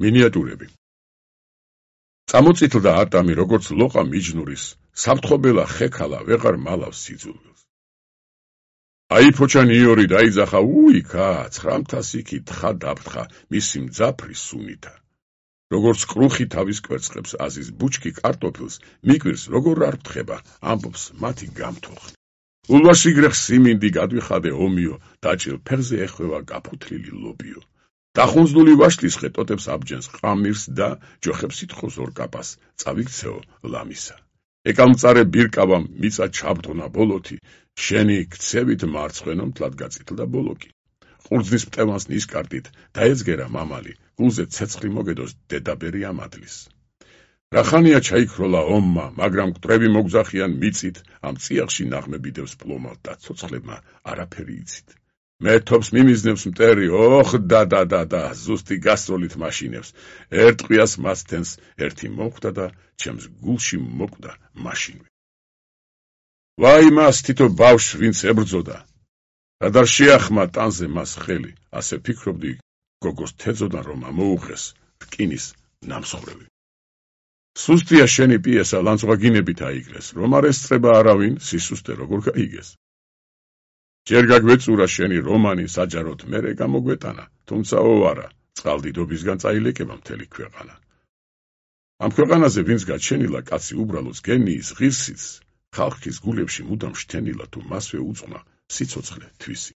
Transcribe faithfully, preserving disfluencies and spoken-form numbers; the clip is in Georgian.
მინიატურები. წამოწითლდა არტამი როგორც ლოყა მიჯნურის, საფრთხობელა ხექალა ვეღარ მალავს სიძულვილს. აი ფოჩანი იორი დაიძახა უიქა, ცხრამთას იქი თხა დაფთხა, მისი მძაფრი სუნითა. როგორც კრუხი თავის კვერცხებს აზის ბუჩქი კარტოფილს, მიკვირს როგორ არ ფთხება, ამბობს მათი გამთოხნი. ულვაშიგრეხ სიმინდი გადვიხადე ომიო, დაჭილ ფეხზე ეხვევა გაფუთლილი ლობიო. დახუნძლული ვაშლის ხეტოტებს აბჯენს ყამირს და ჯოხებს ითხოვს ორკაპას, წავიქცეო ლამისა. ეკალმწარე ბირკავამ მიწა ჩაბდღნა ბოლოთი, შენი ქცევით მარცხენო მთლად გაწითლდა ბოლოკი. ყურძნის მტევანს ნისკარტით დაეძგერა მამალი, გულზე ცეცხლი მოგედოს დედაბერი ამადლის. რახანია ჩაიქროლა ომმა, მაგრამ მკვდრები მოგზახიან მიწით, ამ წიაღში ნაღმები დევს პლომალ და ცოცხლებმა არაფერი იცით. მე თობს მიმიზნებს მტერი, ოხ და და და და ზუსტი გასროლით მაშინებს, ერთ ყიას მასთენს ერთი მოხვდა და ჩემს გულში მოკვდა მაშინვე. ვაი მას თითო ბავშვს ვინც ებრძოდა. რადარ შეახმა ტანზე მას ხელი, ასე ფიქრობდი, გოგოს თეძოდან რომ ამოუღეს რკინის ნამსხვრევი. სუსტია შენი პიესა ლანცვაგინებით აიგრეს, რომ არ ესწრება არავინ სისუსტე როგორ გაიგეს. ჯერ გაგვეწურა შენი რომანი საჯაროდ მერე გამოგვეტანა, თუმცა ოვარა, წყალდიდობისგან წაილეკება მთელი ქვეყანა. ამ ქვეყანაზე ვინც გაჩენილა კაცი უბრალოს გენიის ღირსიც, ხალხის გულებში მუდამ შთენილა თუ მასვე უძღვნა სიცოცხლე თვისი.